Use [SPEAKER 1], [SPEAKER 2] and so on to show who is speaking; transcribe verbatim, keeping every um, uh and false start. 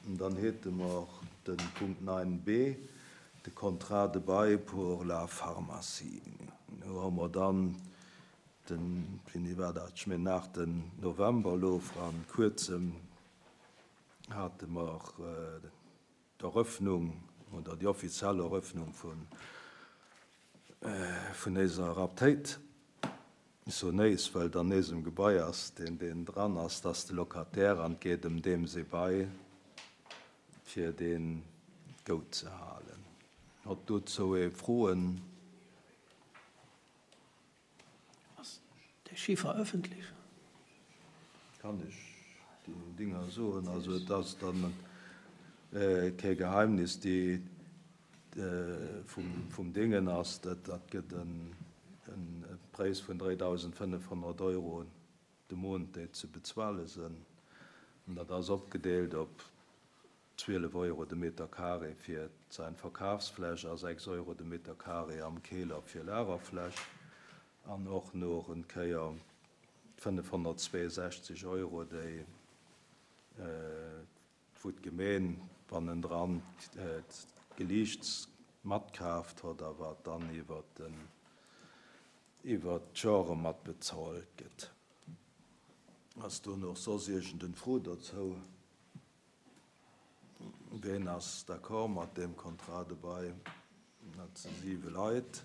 [SPEAKER 1] Dann hätte mer den Punkt neun b, de Contrat de bail pour la pharmacie. Do hu mer dann den, wéini war dat, ech mengen nach den November elo, vrun Kuerzem hate mer d'Eröffnung oder déi offiziell Eröffnung vun vun eiser Aptéit. Sou nees, well dann nees um Gebai ass, deen deen dran ass, dass de Locataire an geet ëm deem se Bail fir deen goud ze halen. Huet dozou ee Froen?
[SPEAKER 2] Ass de Chiffer ëffentlech?
[SPEAKER 1] Kann ech déi Dinger soen. Also et ass dann kee Geheimnis, déi vum vum Dingen ass, dat dat gëtt en en Präis vun dräidausendfënnefhonnert Euro de Mount, déi ze bezuele sinn. An dat ass opgedeelt op zwielef Euro de Meter carré fir sein Verkafsfläch a sechs Euro de Meter carré am Keller fir Lagerfläch an och nach en Kéier fënnefhonnertzweesechzeg Euro, déi wou d'Gemeen bannendran d'Geliichts matkaaft huet a wat dann iwwer den iwwer d'Jore mat bezuelt gëtt. Ass do nach soss iergend Fro dozou? Ween ass d'accord mat deem Contrat de bail? Dat si siwe Leit.